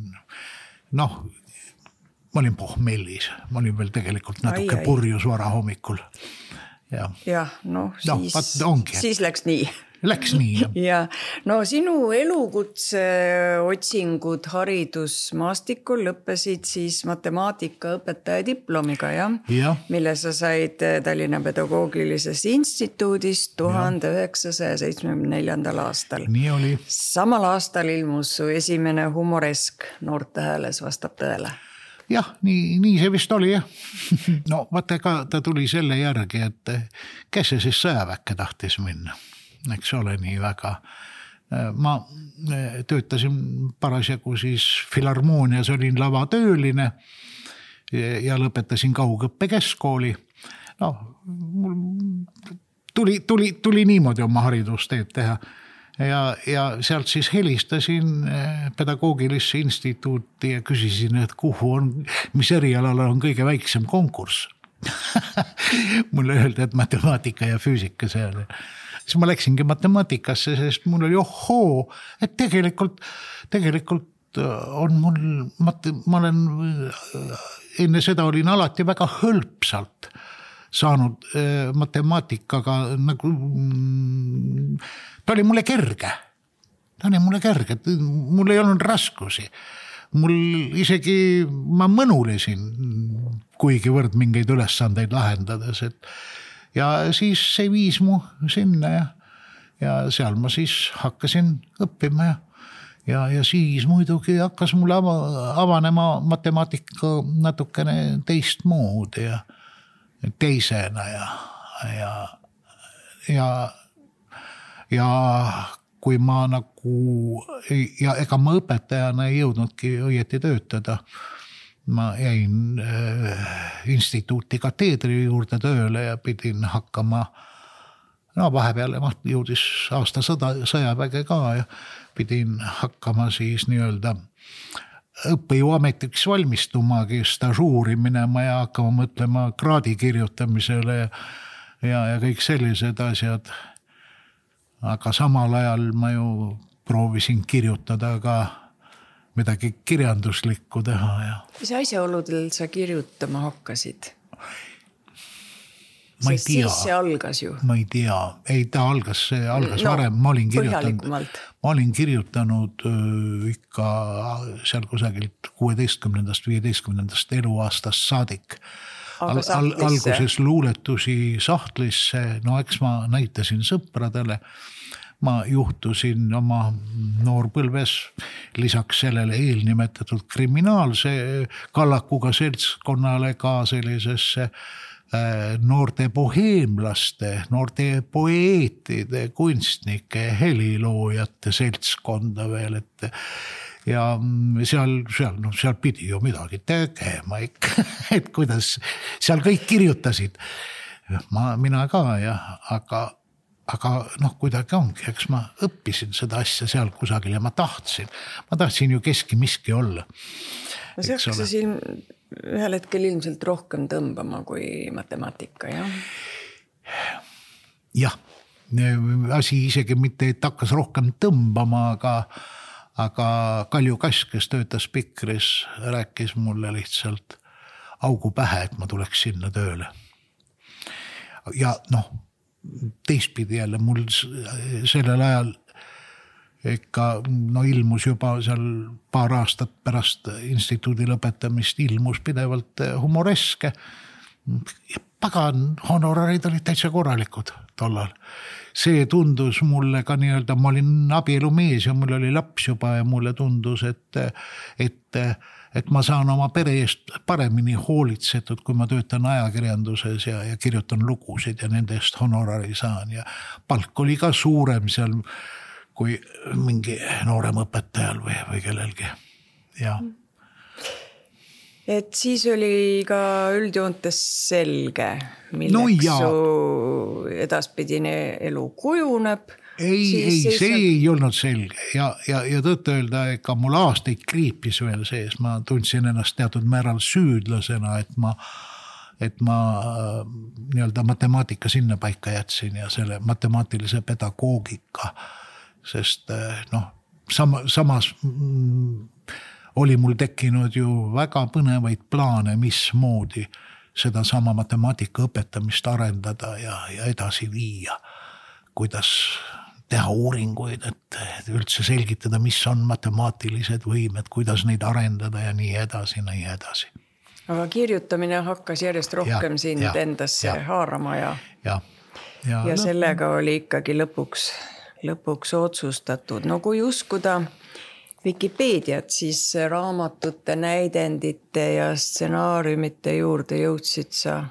Speaker 2: noh, ma olin pohmellis. Ma olin veel tegelikult natuke ai, ai. Purjus vara hommikul. Ja,
Speaker 1: ja no, siis, no, siis läks nii.
Speaker 2: Läks nii, jah.
Speaker 1: Ja, no sinu elukutse otsingud haridusmaastikul lõppesid siis matemaatikaõpetaja diplomiga, jah?
Speaker 2: Ja.
Speaker 1: Mille sa said Tallinna Pedagoogilisest instituudist tuhande üheksasaja seitsmekümne neljandal aastal.
Speaker 2: Nii oli.
Speaker 1: Samal aastal ilmus su esimene humoresk Noorte hääles vastab tõele.
Speaker 2: Jah, nii, nii see vist oli, jah. No vaata, ka ta tuli selle järgi, et kes see siis sõjaväkke tahtis minna. Eks ole nii väga. Ma töötasin parasjagu siis Filharmoonias, olin lavatööline ja lõpetasin kaugõppe keskkooli. No, tuli, tuli, tuli niimoodi oma haridusteed teha. Ja, ja sealt siis helistasin Pedagoogilisse instituuti ja küsisin, et kuhu on, mis erialal on kõige väiksem konkurss. Mulle öeldi, et matemaatika ja füüsika seal. Siis ma läksingi matemaatikasse, sest mul oli ohoo, et tegelikult, tegelikult on mul, ma olen enne seda olin alati väga hõlpsalt saanud matemaatikaga, nagu, ta oli mulle kerge, ta oli mulle kerge, mul ei olnud raskusi. Mul isegi, ma mõnulesin kuigivõrd mingeid ülesandeid lahendades, et ja siis see viis mu sinna ja, ja seal ma siis hakkasin õppima ja, ja, ja siis muidugi hakkas mulle avanema matemaatika natukene teist mood ja teisena ja, ja, ja, ja kui ma nagu, ja ega ma õpetajana ei jõudnudki õieti töötada, ma jäin äh, instituuti kateedri juurde tööle ja pidin hakkama, no vahepeal jõudis aasta sõda, sõjaväge ka ja pidin hakkama siis nii-öelda õppejõuametiks valmistumagi, stažuuri minema ja hakkama mõtlema kraadi kirjutamisele ja, ja, ja kõik sellised asjad. Aga samal ajal ma ju proovisin kirjutada ka midagi kirjanduslikku teha. Ja.
Speaker 1: Mis asjaoludel sa kirjutama hakkasid?
Speaker 2: Ma ei tea.
Speaker 1: Siis see algas ju.
Speaker 2: Ma ei tea. Ei, ta algas, see algas no, varem. Ma olin kirjutanud, ma olin kirjutanud öö, ikka seal kusagilt kuueteistkümnendast viieteistkümnendast eluaastast saadik. Al, al, alguses luuletusi sahtlisse, no eks ma näitasin sõpradele. Ma juhtusin oma noorpõlves lisaks sellele eelnimetatud kriminaalse kallakuga seltskonnale ka sellisesse noorte boheemlaste, noorte poeetide, kunstnike, heliloojate seltskonda veel, et ja seal, seal, no, seal pidi ju midagi tegema ikka, et kuidas seal kõik kirjutasid. Ma, mina ka, ja, aga aga noh, kuidagi ongi, eks ma õppisin seda asja seal kusagil ja ma tahtsin, ma tahtsin ju keski miski olla.
Speaker 1: No see hakkas siin ühel hetkel ilmselt rohkem tõmbama kui matemaatika, jah?
Speaker 2: Jah, asi isegi mitte, et hakkas rohkem tõmbama, aga, aga Kalju Kass, kes töötas Pikris, rääkis mulle lihtsalt augu pähe, et ma tuleks sinna tööle. Ja noh, teistpidi jälle mul sellel ajal ikka no ilmus juba seal paar aastat pärast instituudi lõpetamist ilmus pidevalt humoreske. Pagan, honorarid olid täitsa korralikud tollal. See tundus mulle ka nii-öelda, ma olin abielumees ja mul oli laps juba ja mulle tundus, et, et et ma saan oma pere eest paremini hoolitsetud, kui ma töötan ajakirjanduses ja, ja kirjutan lugusid ja nende eest honorari saan ja palk oli ka suurem seal kui mingi noorem õpetajal või, või kellelgi. Ja.
Speaker 1: Et siis oli ka üldjoontes selge, milleks no su edaspidine elu kujuneb.
Speaker 2: Ei, ei, see ei olnud selge ja, ja, ja tõtt öelda, ega mul aastaid kriipis veel sees, ma tundsin ennast teatud määral süüdlasena, et ma, et ma nii-öelda matemaatika sinna paika jätsin ja selle matemaatilise pedagoogika, sest noh, sama, samas oli mul tekkinud ju väga põnevaid plaane, mismoodi seda sama matemaatika õpetamist arendada ja, ja edasi viia, kuidas teha uuringuid, et üldse selgitada, mis on matemaatilised võimed, kuidas neid arendada ja nii edasi, nii edasi.
Speaker 1: Aga kirjutamine hakkas järjest rohkem ja, sind ja, endasse ja, haarama ja,
Speaker 2: ja, ja,
Speaker 1: ja sellega oli ikkagi lõpuks, lõpuks otsustatud. No kui uskuda Wikipeediat, siis raamatute, näidendite ja stsenaariumite juurde jõudsid sa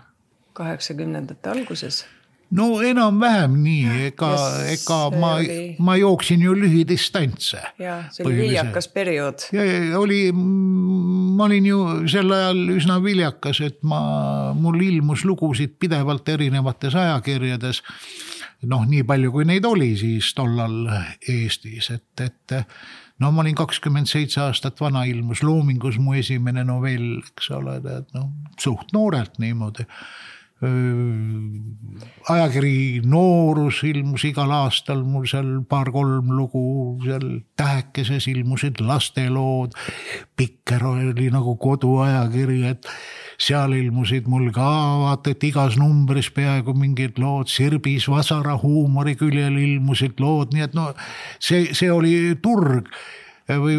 Speaker 1: kaheksakümnendate alguses.
Speaker 2: No enam vähem nii, ega, ega ma, oli... ma jooksin ju lühidistantse.
Speaker 1: Ja, see oli viljakas periood.
Speaker 2: Ja, ja oli, ma olin ju sel ajal üsna viljakas, et ma, mul ilmus lugusid pidevalt erinevates ajakirjades. Noh, nii palju kui neid oli siis tollal Eestis, et, et no ma olin kakskümmend seitse aastat vana, ilmus Loomingus mu esimene novell, eks ole, et no, suht noorelt niimoodi. Ajakiri Noorus ilmus igal aastal mul seal paar-kolm lugu, seal Tähekeses ilmusid lastelood, Pikker oli nagu koduajakiri, et seal ilmusid mul ka vaata, et igas numbris peaaegu mingid lood, Sirbis Vasara huumori küljel ilmusid lood, nii et no see, see oli turg või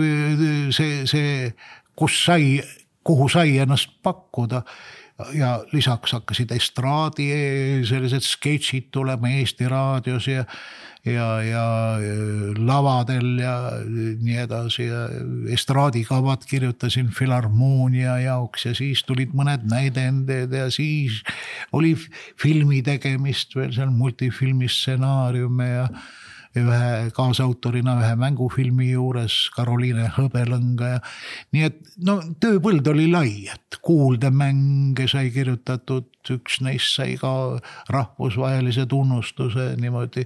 Speaker 2: see, see kus sai, kuhu sai ennast pakkuda. Ja lisaks hakkasid estraadi sellised sketšid tulema Eesti raadios ja, ja, ja lavadel ja nii edasi ja estraadikavad kirjutasin Filharmoonia jaoks ja siis tulid mõned näidended ja siis oli filmi tegemist veel seal multifilmi stsenaariume ja ühe kaasautorina ühe mängufilmi juures Karoliine Hõbelõnga ja nii et no tööpõld oli lai, et kuuldemänge sai kirjutatud, üks neist sai ka rahvusvahelise tunnustuse niimoodi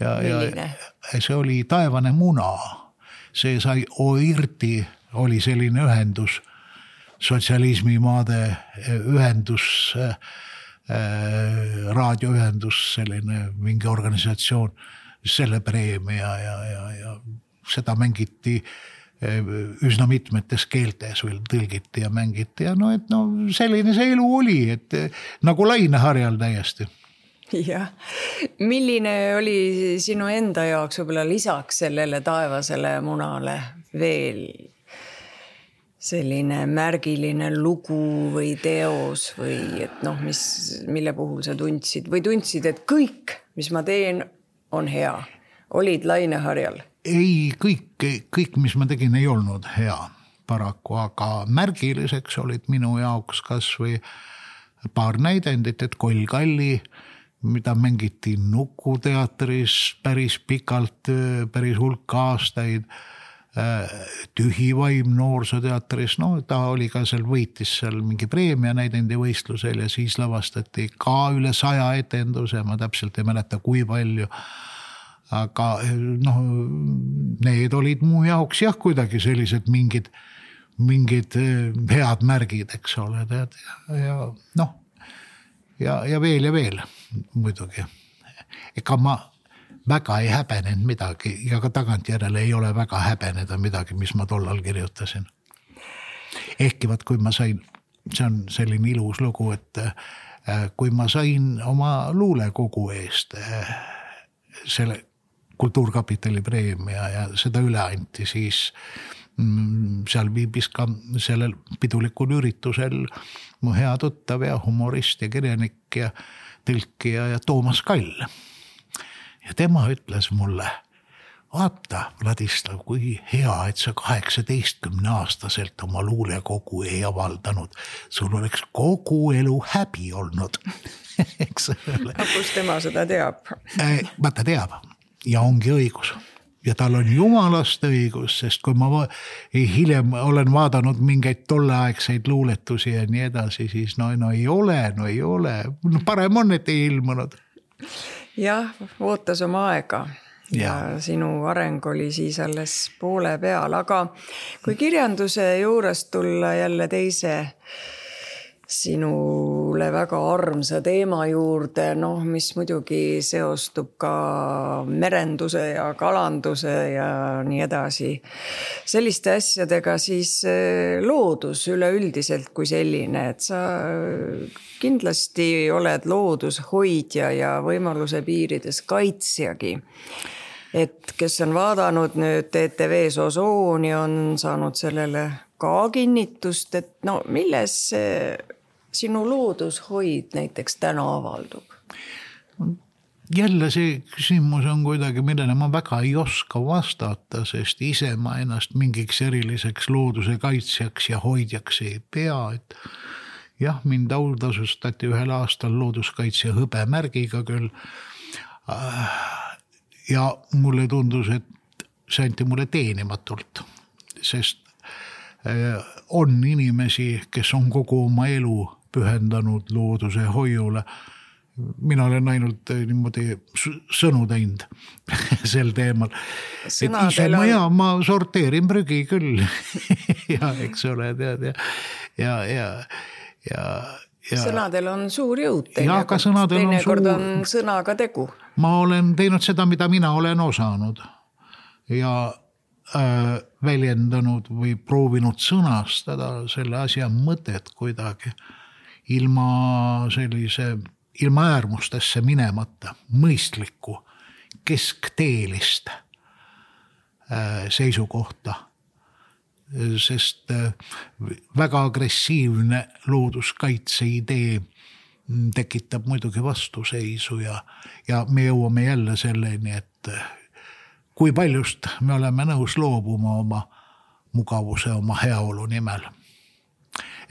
Speaker 2: ja, ja see oli Taevane muna, see sai OIRTi, oli selline ühendus, sotsialismimaade ühendus, raadioühendus, selline mingi organisatsioon, selle preemia ja, ja, ja seda mängiti üsna mitmetes keeltes veel tõlgiti ja mängiti ja no, et no selline see elu oli, et nagu laineharjal täiesti.
Speaker 1: Jah, milline oli sinu enda jaoks võib-olla lisaks sellele taevasele munale veel selline märgiline lugu või teos või et noh, mis, mille puhul sa tundsid või tundsid, et kõik, mis ma teen, on hea. Olid laineharjal?
Speaker 2: Ei, kõik, kõik, mis ma tegin, ei olnud hea paraku, aga märgiliseks olid minu jaoks kas või paar näidendit, et Koll Kalli, mida mängiti Nuku teatris päris pikalt, päris hulk aastaid, Tühi vaim noorsooteatris, no ta oli ka seal, võitis seal mingi preemia näidendi võistlusel ja siis lavastati ka üle saja etenduse, ma täpselt ei mäleta, kui palju. Aga noh, need olid mu jaoks jah, kuidagi sellised mingid, mingid head märgid, eks ole, tead, ja noh, ja, ja veel ja veel muidugi. Ega ma väga ei häbenenud midagi ja ka tagantjärele ei ole väga häbeneda midagi, mis ma tollal kirjutasin. Ehkki vaat, kui ma sain, see on selline ilus lugu, et kui ma sain oma luulekogu eest selle Kultuurkapitali preemia ja seda üle anti, siis seal viibis ka sellel pidulikul üritusel mu hea tuttav ja humorist ja kirjanik ja tõlkija ja Toomas Kall. Ja tema ütles mulle, vaata, Vladislav, kui hea, et sa kaheksateistkümne aastaselt oma luulekogu ei avaldanud. Sul oleks kogu elu häbi olnud. Eks ole.
Speaker 1: Kus tema seda teab?
Speaker 2: Vaata teab ja ongi õigus. Ja tal on jumalast õigus, sest kui ma hiljem olen vaadanud mingeid tolleaegseid luuletusi ja nii edasi, siis no, no ei ole, no ei ole. No parem on, et ei ilmunud.
Speaker 1: Jah, ootas oma aega ja, ja sinu areng oli siis alles poole peal, aga kui kirjanduse juurest tulla jälle teise sinule väga armsa teema juurde, noh, mis muidugi seostub ka merenduse ja kalanduse ja nii edasi. Selliste asjadega siis loodus üleüldiselt kui selline, et sa kindlasti oled loodushoidja ja võimaluse piirides kaitsjagi. Et kes on vaadanud nüüd T T V-s Osooni, on saanud sellele ka kinnitust, et no milles see sinu loodushoid näiteks täna avaldub?
Speaker 2: Jälle see küsimus on kuidagi, millele ma väga ei oska vastata, sest ise ma ennast mingiks eriliseks looduse kaitsjaks ja hoidjaks ei pea. Et jah, mind autasustati ühel aastal looduskaitsja hõbemärgiga küll. Ja mulle tundus, et see anti mulle teenimatult, sest on inimesi, kes on kogu oma elu pühendanud looduse hoiule. Mina olen ainult niimoodi sõnu teinud sel teemal. Sõnadel et ise ma, ja, ma sorteerin prügi küll. ja eks ole, tead, ja, ja, ja, ja, ja
Speaker 1: sõnadel on suur jõud.
Speaker 2: Ja ka sõnadel on suur.
Speaker 1: on sõnaga tegu.
Speaker 2: Ma olen teinud seda, mida mina olen osanud ja äh, väljendanud või proovinud sõnastada selle asja mõtet kuidagi ilma sellise, ilma äärmustesse minemata, mõistlikku, keskteelist äh, seisukohta. Sest äh, väga agressiivne looduskaitse idee tekitab muidugi vastuseisu ja, ja me jõuame jälle selleni, et kui paljust me oleme nõus loobuma oma mugavuse, oma heaolu nimel.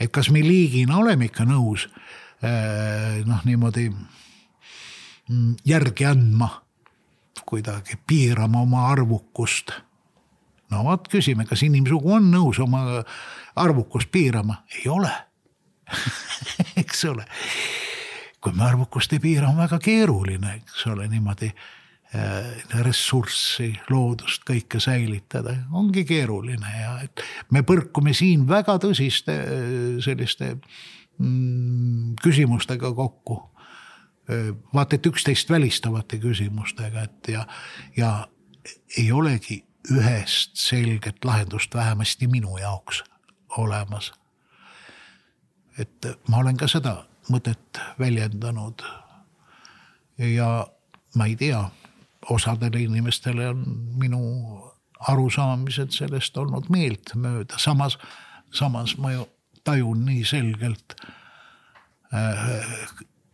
Speaker 2: Et kas me liigina oleme ikka nõus noh, niimoodi järgi andma, kuidagi piirama oma arvukust. No vaat küsime, kas inimsugu on nõus oma arvukust piirama? Ei ole. Eks ole. Kui me arvukust ei piira, on väga keeruline, eks ole, niimoodi ressurssi, loodust, kõike säilitada. Ongi keeruline ja et me põrkume siin väga tõsiste selliste mm, küsimustega kokku. Vaat, et üksteist välistavate küsimustega, et ja, ja ei olegi ühest selget lahendust vähemasti minu jaoks olemas. Et ma olen ka seda mõtet väljendanud ja ma ei tea, osadele inimestele on minu arusaamised sellest olnud meelt mööda. Samas, samas ma ju tajun nii selgelt,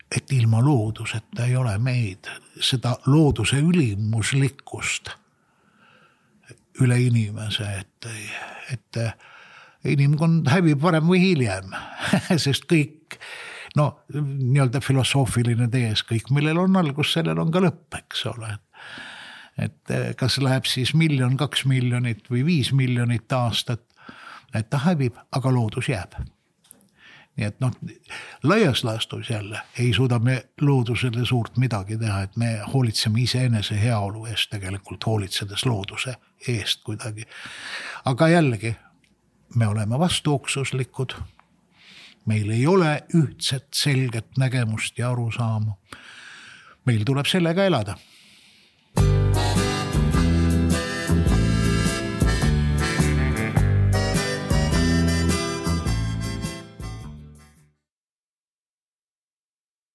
Speaker 2: et ilma looduseta ei ole meid seda looduse ülimuslikkust üle inimese, et, et inimkond hävib varem või hiljem, sest kõik no, nii-öelda filosoofiline tees, kõik millel on algus, sellel on ka lõpp, eks ole. et kas läheb siis miljon, kaks miljonit või viis miljonit aastat, et ta hävib, aga loodus jääb. Nii et noh, laias laastus jälle ei suuda me loodusele suurt midagi teha, et me hoolitseme iseenese heaolu eest tegelikult hoolitsedes looduse eest kuidagi. Aga jällegi, me oleme vastuoksuslikud, meil ei ole ühtset selget nägemust ja arusaama. Meil tuleb sellega elada.